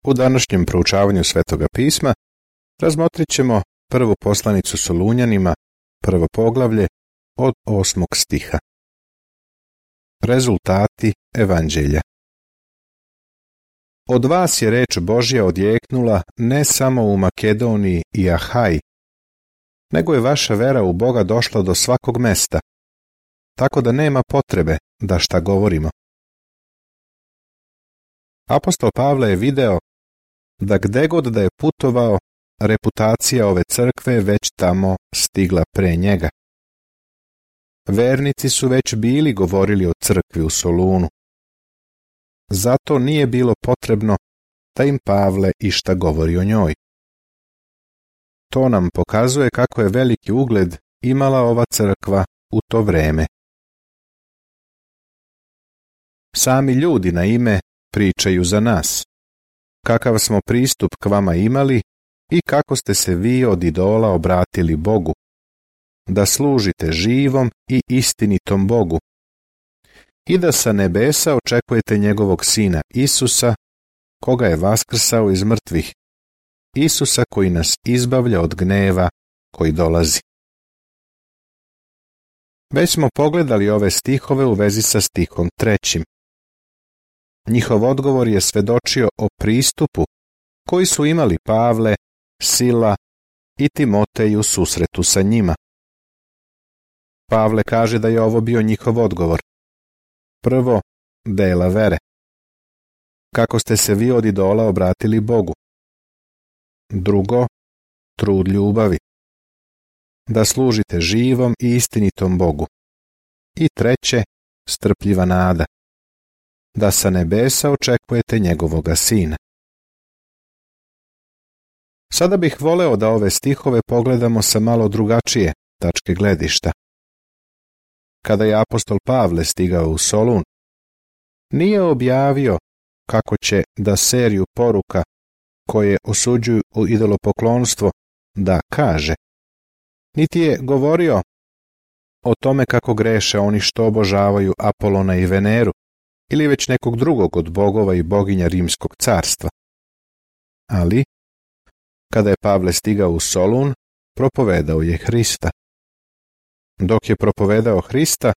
U današnjem proučavanju Svetoga pisma razmotrit ćemo prvu poslanicu Solunjanima, prvo poglavlje, od 8. stiha. Rezultati evanđelja. Od vas je reč Božja odjeknula ne samo u Makedoniji i Ahaji, nego je vaša vera u Boga došla do svakog mesta, tako da nema potrebe da šta govorimo. Apostol Pavle je video da gde god da je putovao, reputacija ove crkve je već tamo stigla pre njega. Vernici su već bili govorili o crkvi u Solunu. Zato nije bilo potrebno da im Pavle išta govori o njoj. To nam pokazuje kako je veliki ugled imala ova crkva u to vreme. Sami ljudi na ime pričaju za nas, kakav smo pristup k vama imali i kako ste se vi od idola obratili Bogu, da služite živom i istinitom Bogu i da sa nebesa očekujete njegovog sina Isusa, koga je vaskrsao iz mrtvih, Isusa koji nas izbavlja od gneva koji dolazi. Već smo pogledali ove stihove u vezi sa stihom 3. Njihov odgovor je svedočio o pristupu koji su imali Pavle, Sila i Timotej u susretu sa njima. Pavle kaže da je ovo bio njihov odgovor. Prvo, dela vere. Kako ste se vi od idola obratili Bogu. Drugo, trud ljubavi. Da služite živom i istinitom Bogu. I treće, strpljiva nada. Da sa nebesa očekujete njegovoga sina. Sada bih voleo da ove stihove pogledamo sa malo drugačije tačke gledišta. Kada je apostol Pavle stigao u Solun, nije objavio kako će da seriju poruka koje osuđuju idolopoklonstvo da kaže, niti je govorio o tome kako greše oni što obožavaju Apolona i Veneru ili već nekog drugog od bogova i boginja Rimskog carstva. Ali, kada je Pavle stigao u Solun, propovedao je Hrista. Dok je propovedao Hrista,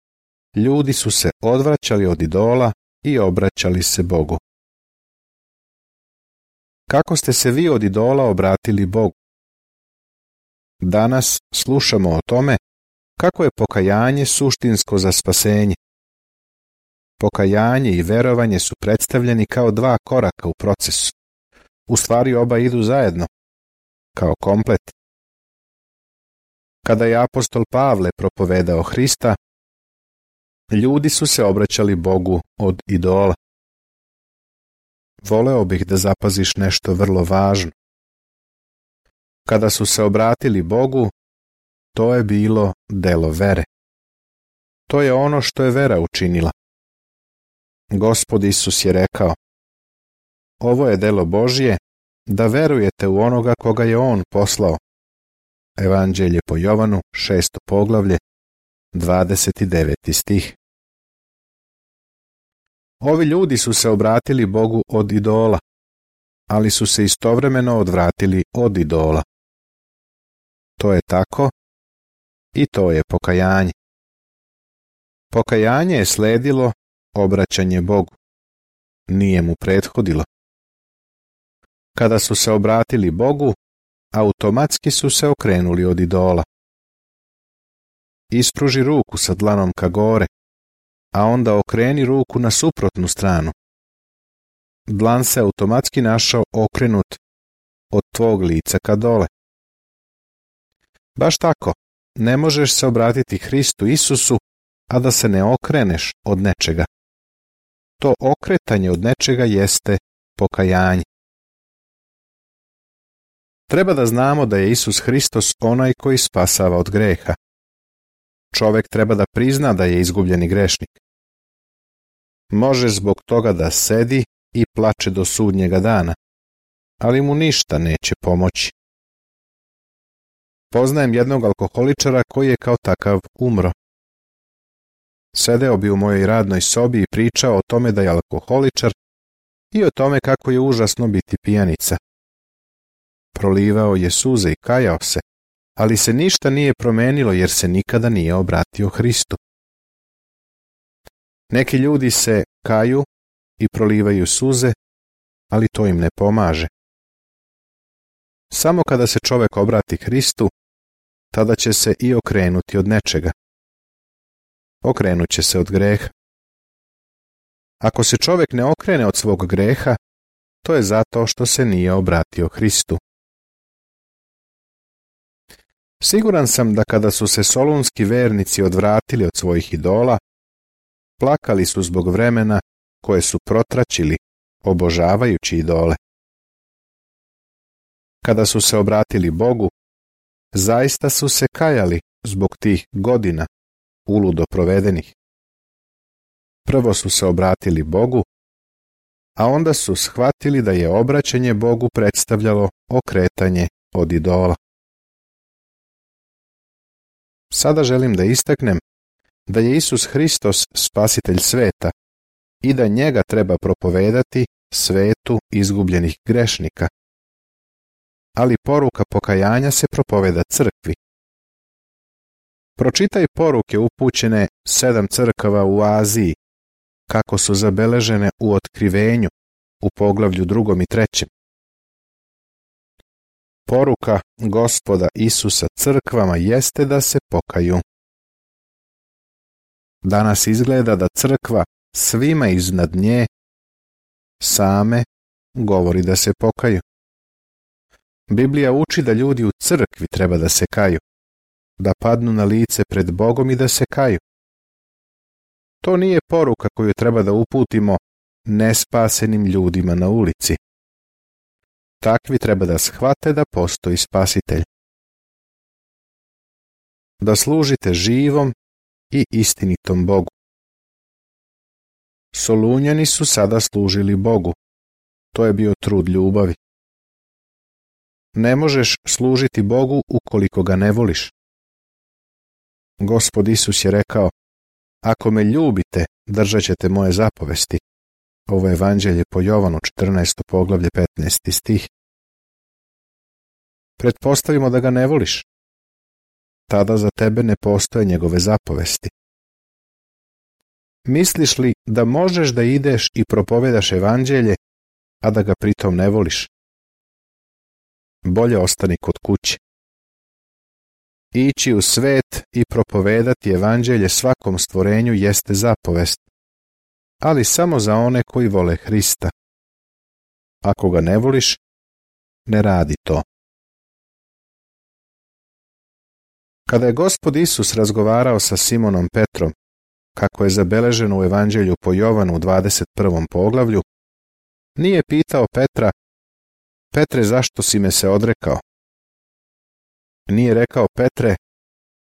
ljudi su se odvraćali od idola i obraćali se Bogu. Kako ste se vi od idola obratili Bogu? Danas slušamo o tome kako je pokajanje suštinsko za spasenje. Pokajanje i verovanje su predstavljeni kao dva koraka u procesu. U stvari oba idu zajedno, kao komplet. Kada je apostol Pavle propovedao Hrista, ljudi su se obraćali Bogu od idola. Voleo bih da zapaziš nešto vrlo važno. Kada su se obratili Bogu, to je bilo delo vere. To je ono što je vera učinila. Gospod Isus je rekao, ovo je delo Božje, da verujete u onoga koga je On poslao. Evanđelje po Jovanu, 6. poglavlje, 29. stih. Ovi ljudi su se obratili Bogu od idola, ali su se istovremeno odvratili od idola. To je tako i to je pokajanje. Pokajanje je sledilo obraćanje Bogu. Nije mu prethodilo. Kada su se obratili Bogu, automatski su se okrenuli od idola. Ispruži ruku sa dlanom ka gore, a onda okreni ruku na suprotnu stranu. Dlan se automatski našao okrenut od tvog lica ka dole. Baš tako, ne možeš se obratiti Hristu Isusu, a da se ne okreneš od nečega. To okretanje od nečega jeste pokajanje. Treba da znamo da je Isus Hristos onaj koji spasava od greha. Čovek treba da prizna da je izgubljeni grešnik. Može zbog toga da sedi i plače do sudnjega dana, ali mu ništa neće pomoći. Poznajem jednog alkoholičara koji je kao takav umro. Sedeo bi u mojoj radnoj sobi i pričao o tome da je alkoholičar i o tome kako je užasno biti pijanica. Prolivao je suze i kajao se, ali se ništa nije promenilo jer se nikada nije obratio Hristu. Neki ljudi se kaju i prolivaju suze, ali to im ne pomaže. Samo kada se čovjek obrati Hristu, tada će se i okrenuti od nečega. Okrenut će se od greha. Ako se čovjek ne okrene od svog greha, to je zato što se nije obratio Hristu. Siguran sam da kada su se solunski vernici odvratili od svojih idola, plakali su zbog vremena koje su protraćili obožavajući idole. Kada su se obratili Bogu, zaista su se kajali zbog tih godina uludo provedenih. Prvo su se obratili Bogu, a onda su shvatili da je obraćanje Bogu predstavljalo okretanje od idola. Sada želim da istaknem da je Isus Hristos spasitelj sveta i da njega treba propovedati svetu izgubljenih grešnika. Ali poruka pokajanja se propoveda crkvi. Pročitaj poruke upućene 7 crkava u Aziji, kako su zabeležene u Otkrivenju u poglavlju 2. i 3. Poruka Gospoda Isusa crkvama jeste da se pokaju. Danas izgleda da crkva svima iznad nje same govori da se pokaju. Biblija uči da ljudi u crkvi treba da se kaju, da padnu na lice pred Bogom i da se kaju. To nije poruka koju treba da uputimo nespasenim ljudima na ulici. Takvi treba da shvate da postoji spasitelj. Da služite živom i istinitom Bogu. Solunjani su sada služili Bogu. To je bio trud ljubavi. Ne možeš služiti Bogu ukoliko ga ne voliš. Gospod Isus je rekao: ako me ljubite, držat ćete moje zapovesti. Ovo je evanđelje po Jovanu 14. poglavlje 15. stih. Pretpostavimo da ga ne voliš. Tada za tebe ne postoje njegove zapovesti. Misliš li da možeš da ideš i propovedaš evanđelje, a da ga pritom ne voliš? Bolje ostani kod kuće. Ići u svet i propovedati evanđelje svakom stvorenju jeste zapovest, ali samo za one koji vole Hrista. Ako ga ne voliš, ne radi to. Kada je Gospod Isus razgovarao sa Simonom Petrom, kako je zabeleženo u evanđelju po Jovanu u 21. poglavlju, nije pitao Petra: Petre, zašto si me se odrekao? Nije rekao: Petre,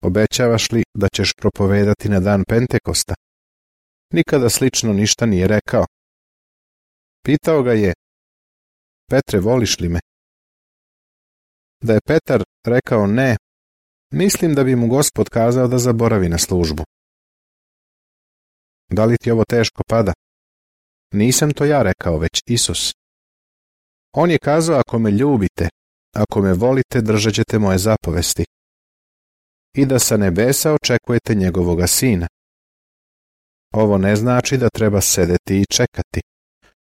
obećavaš li da ćeš propovedati na dan Pentekosta? Nikada slično ništa nije rekao. Pitao ga je: Petre, voliš li me? Da je Petar rekao ne, mislim da bi mu Gospod kazao da zaboravi na službu. Da li ti ovo teško pada? Nisam to ja rekao, već Isus. On je kazao: ako me ljubite, ako me volite, držat ćete moje zapovesti. I da sa nebesa očekujete njegovoga sina. Ovo ne znači da treba sedeti i čekati.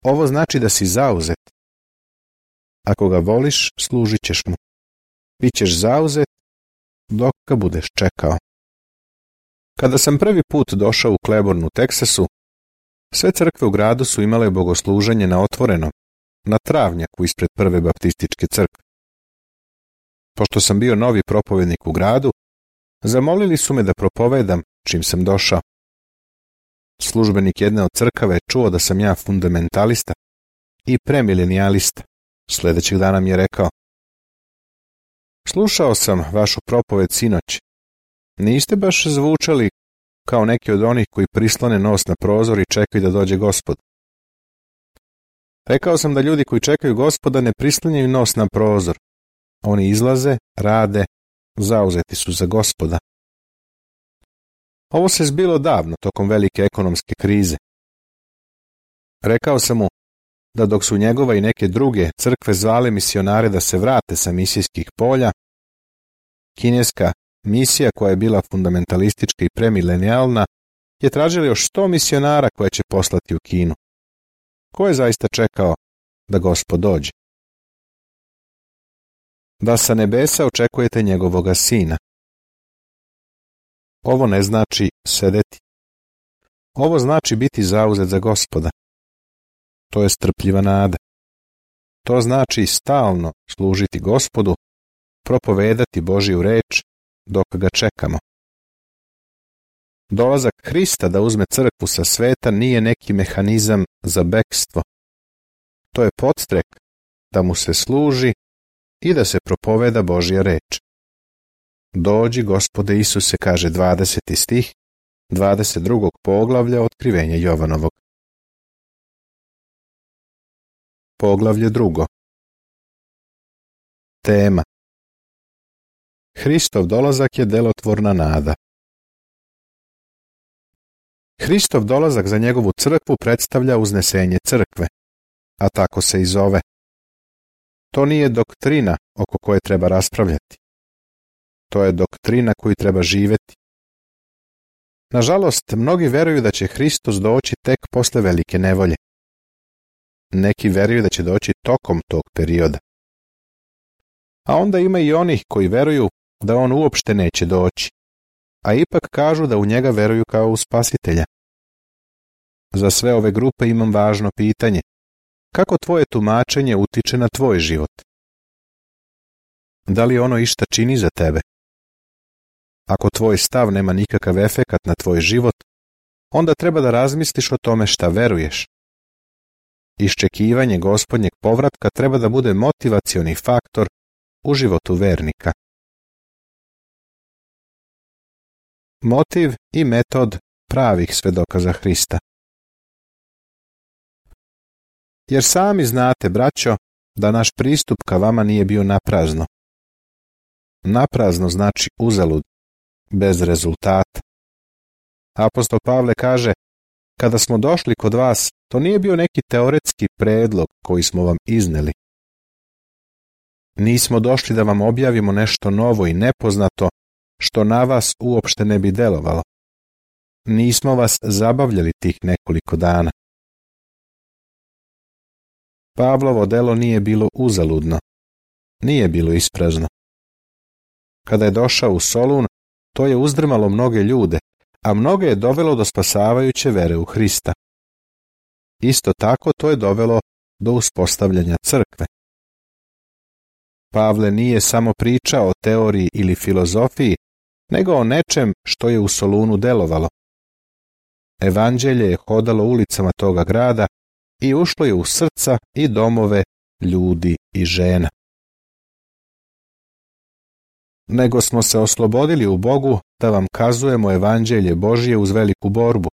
Ovo znači da si zauzet. Ako ga voliš, služit ćeš mu. Bićeš zauzet dok ga budeš čekao. Kada sam prvi put došao u Claiborne u Teksasu, sve crkve u gradu su imale bogosluženje na otvorenom, na travnjaku ispred prve baptističke crkve. Pošto sam bio novi propovednik u gradu, zamolili su me da propovedam čim sam došao. Službenik jedne od crkava je čuo da sam ja fundamentalista i premilenijalista. Sljedećeg dana mi je rekao: slušao sam vašu propoved sinoć. Niste baš zvučali kao neki od onih koji prislone nos na prozor i čekaju da dođe Gospod. Rekao sam da ljudi koji čekaju Gospoda ne prislanjaju nos na prozor. Oni izlaze, rade, zauzeti su za Gospoda. Ovo se zbilo davno, tokom velike ekonomske krize. Rekao sam mu: da dok su njegova i neke druge crkve zvale misionare da se vrate sa misijskih polja, kineska misija koja je bila fundamentalistička i premilenijalna je tražila još 100 misionara koje će poslati u Kinu. Ko je zaista čekao da Gospod dođe? Da sa nebesa očekujete njegovoga sina. Ovo ne znači sedeti. Ovo znači biti zauzet za Gospoda. To je strpljiva nada. To znači stalno služiti Gospodu, propovedati Božju reč dok ga čekamo. Dolazak Hrista da uzme crkvu sa sveta nije neki mehanizam za bekstvo. To je podstrek da mu se služi i da se propoveda Božja reč. Dođi, Gospode Isuse, kaže 20. stih 22. poglavlja Otkrivenja Jovanovog. Poglavlje 2. Tema. Hristov dolazak je delotvorna nada. Hristov dolazak za njegovu crkvu predstavlja uznesenje crkve, a tako se i zove. To nije doktrina oko koje treba raspravljati. To je doktrina koju treba živjeti. Nažalost, mnogi veruju da će Hristos doći tek posle velike nevolje. Neki veruju da će doći tokom tog perioda. A onda ima i onih koji veruju da on uopšte neće doći, a ipak kažu da u njega veruju kao u Spasitelja. Za sve ove grupe imam važno pitanje. Kako tvoje tumačenje utiče na tvoj život? Da li ono išta čini za tebe? Ako tvoj stav nema nikakav efekat na tvoj život, onda treba da razmisliš o tome šta veruješ. Iščekivanje Gospodnjeg povratka treba da bude motivacioni faktor u životu vernika. Motiv i metod pravih svedoka za Hrista. Jer sami znate, braćo, da naš pristup ka vama nije bio naprazno. Naprazno znači uzalud, bez rezultata. Apostol Pavle kaže, kada smo došli kod vas, to nije bio neki teoretski predlog koji smo vam izneli. Nismo došli da vam objavimo nešto novo i nepoznato, što na vas uopšte ne bi delovalo. Nismo vas zabavljali tih nekoliko dana. Pavlovo delo nije bilo uzaludno, nije bilo isprazno. Kada je došao u Solun, to je uzdrmalo mnoge ljude, a mnoge je dovelo do spasavajuće vere u Hrista. Isto tako to je dovelo do uspostavljanja crkve. Pavle nije samo pričao o teoriji ili filozofiji, nego o nečem što je u Solunu delovalo. Evanđelje je hodalo ulicama toga grada i ušlo je u srca i domove ljudi i žena. Nego smo se oslobodili u Bogu da vam kazujemo Evanđelje Božje uz veliku borbu,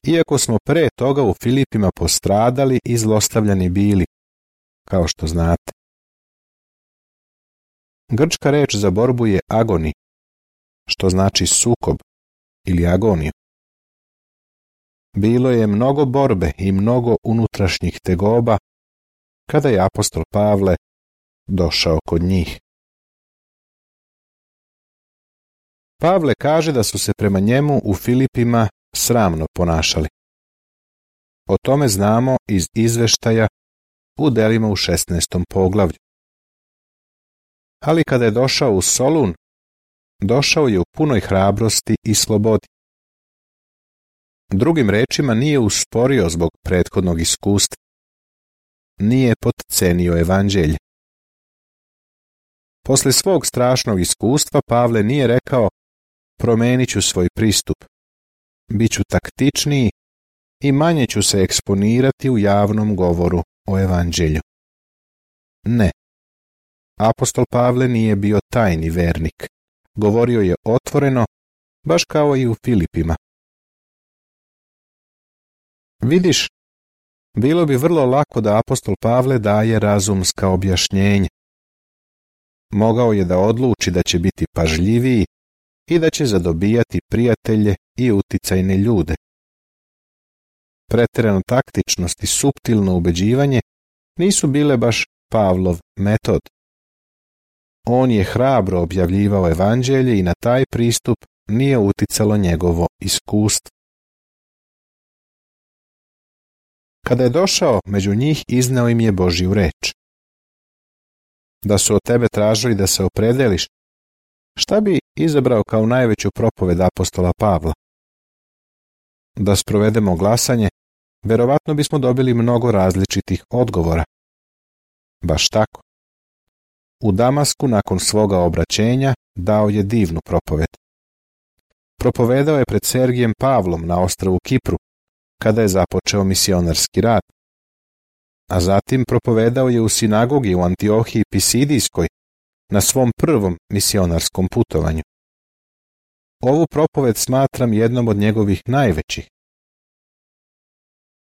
iako smo pre toga u Filipima postradali i zlostavljani bili, kao što znate. Grčka reč za borbu je agoni, što znači sukob ili agoniju. Bilo je mnogo borbe i mnogo unutrašnjih tegoba kada je apostol Pavle došao kod njih. Pavle kaže da su se prema njemu u Filipima sramno ponašali. O tome znamo iz izveštaja u delima u 16. poglavlju. Ali kada je došao u Solun, došao je u punoj hrabrosti i slobodi. Drugim rečima, nije usporio zbog prethodnog iskustva. Nije potcenio evanđelje. Posle svog strašnog iskustva Pavle nije rekao, promenit ću svoj pristup, bit ću taktičniji i manje ću se eksponirati u javnom govoru o evanđelju. Ne. Apostol Pavle nije bio tajni vernik. Govorio je otvoreno, baš kao i u Filipima. Vidiš, bilo bi vrlo lako da apostol Pavle daje razumska objašnjenja. Mogao je da odluči da će biti pažljiviji i da će zadobijati prijatelje i uticajne ljude. pretjerana taktičnost i suptilno ubeđivanje nisu bile baš Pavlov metod. On je hrabro objavljivao evanđelje i na taj pristup nije uticalo njegovo iskustvo. Kada je došao među njih, izneo im je Božju reč. Da su od tebe tražili da se opredeliš, šta bi izabrao kao najveću propoved apostola Pavla? Da sprovedemo glasanje, verovatno bismo dobili mnogo različitih odgovora. Baš tako. U Damasku nakon svoga obraćenja dao je divnu propoved. Propovedao je pred Sergijem Pavlom na ostrvu Kipru, kada je započeo misionarski rad. A zatim propovedao je u sinagogi u Antiohiji Pisidijskoj na svom prvom misionarskom putovanju. Ovu propoved smatram jednom od njegovih najvećih.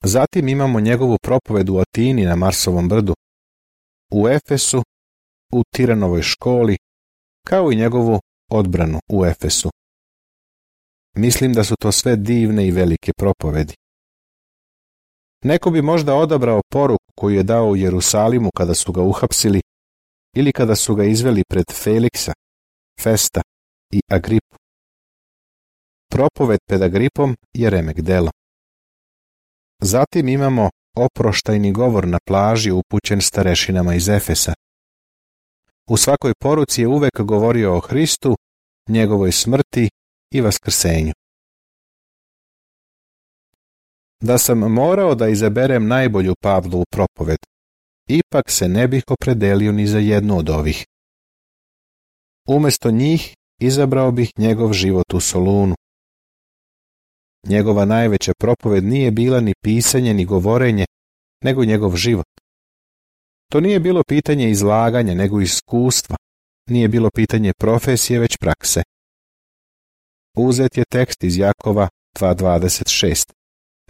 Zatim imamo njegovu propoved u Atini na Marsovom brdu, u Efesu, u Tiranovoj školi, kao i njegovu odbranu u Efesu. Mislim da su to sve divne i velike propovedi. Neko bi možda odabrao poruku koju je dao u Jerusalimu kada su ga uhapsili ili kada su ga izveli pred Feliksa, Festa i Agripu. Propoved pred Agripom je remek delo. Zatim imamo oproštajni govor na plaži upućen starešinama iz Efesa. U svakoj poruci je uvek govorio o Hristu, njegovoj smrti i vaskrsenju. Da sam morao da izaberem najbolju Pavlovu propoved, ipak se ne bih opredelio ni za jednu od ovih. Umesto njih izabrao bih njegov život u Solunu. Njegova najveća propoved nije bila ni pisanje ni govorenje, nego njegov život. To nije bilo pitanje izlaganja, nego iskustva. Nije bilo pitanje profesije, već prakse. Uzet je tekst iz Jakova 2.26.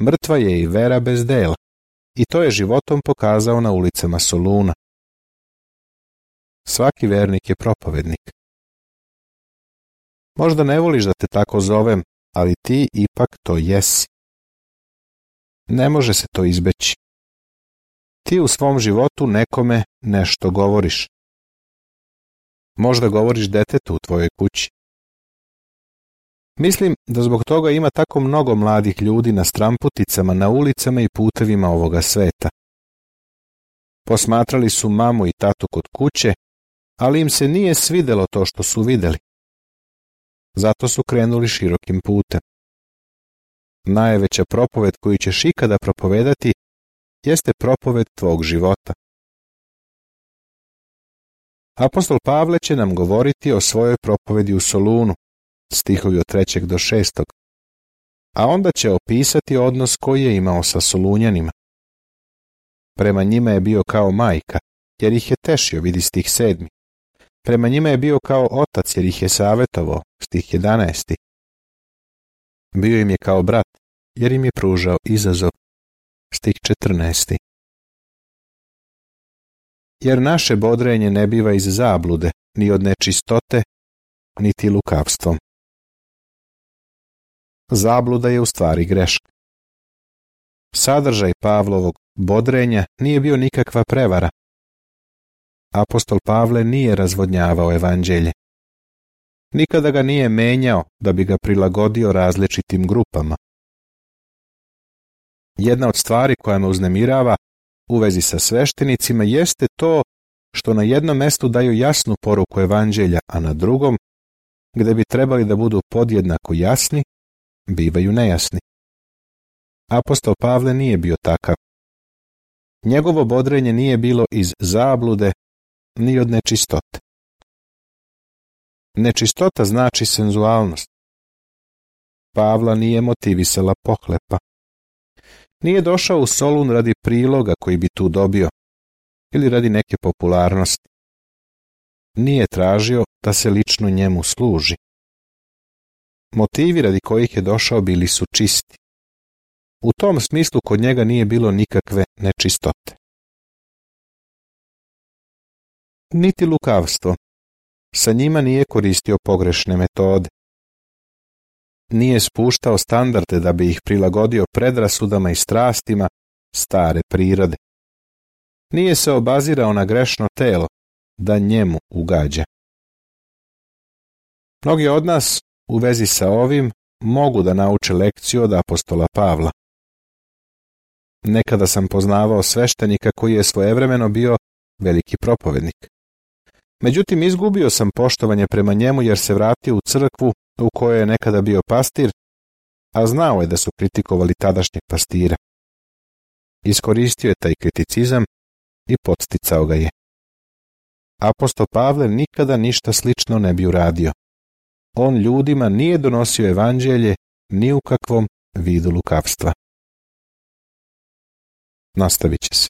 Mrtva je i vera bez dela. I to je životom pokazao na ulicama Soluna. Svaki vernik je propovednik. Možda ne voliš da te tako zovem, ali ti ipak to jesi. Ne može se to izbeći. Ti u svom životu nekome nešto govoriš. Možda govoriš detetu u tvojoj kući. Mislim da zbog toga ima tako mnogo mladih ljudi na stramputicama, na ulicama i putevima ovoga sveta. Posmatrali su mamu i tatu kod kuće, ali im se nije svidelo to što su videli. Zato su krenuli širokim putem. Najveća propoved koju ćeš ikada propovedati jeste propoved tvog života. Apostol Pavle će nam govoriti o svojoj propovedi u Solunu, stihovi od 3. do 6. A onda će opisati odnos koji je imao sa Solunjanima. Prema njima je bio kao majka, jer ih je tešio, vidi stih 7. Prema njima je bio kao otac, jer ih je savjetovao, stih 11. Bio im je kao brat, jer im je pružao izazov, stih 14. Jer naše bodrenje ne biva iz zablude, ni od nečistote, niti lukavstvom. Zabluda je u stvari greška. Sadržaj Pavlovog bodrenja nije bio nikakva prevara. Apostol Pavle nije razvodnjavao evanđelje. Nikada ga nije menjao da bi ga prilagodio različitim grupama. Jedna od stvari koja me uznemirava u vezi sa sveštenicima jeste to što na jednom mestu daju jasnu poruku evanđelja, a na drugom, gde bi trebali da budu podjednako jasni, bivaju nejasni. Apostol Pavle nije bio takav. Njegovo bodrenje nije bilo iz zablude ni od nečistote. Nečistota znači senzualnost. Pavla nije motivisala pohlepa. Nije došao u Solun radi priloga koji bi tu dobio ili radi neke popularnosti. Nije tražio da se lično njemu služi. Motivi radi kojih je došao bili su čisti. U tom smislu kod njega nije bilo nikakve nečistote. Niti lukavstvo. Sa njima nije koristio pogrešne metode. Nije spuštao standarde da bi ih prilagodio predrasudama i strastima stare prirode. Nije se obazirao na grešno telo da njemu ugađa. Mnogi od nas u vezi sa ovim mogu da nauče lekciju od apostola Pavla. Nekada sam poznavao sveštenika koji je svojevremeno bio veliki propovednik. Međutim, izgubio sam poštovanje prema njemu jer se vratio u crkvu u kojoj je nekada bio pastir, a znao je da su kritikovali tadašnjeg pastira. Iskoristio je taj kriticizam i podsticao ga je. Apostol Pavle nikada ništa slično ne bi uradio. On ljudima nije donosio evanđelje ni u kakvom vidu lukavstva. Nastavit će se.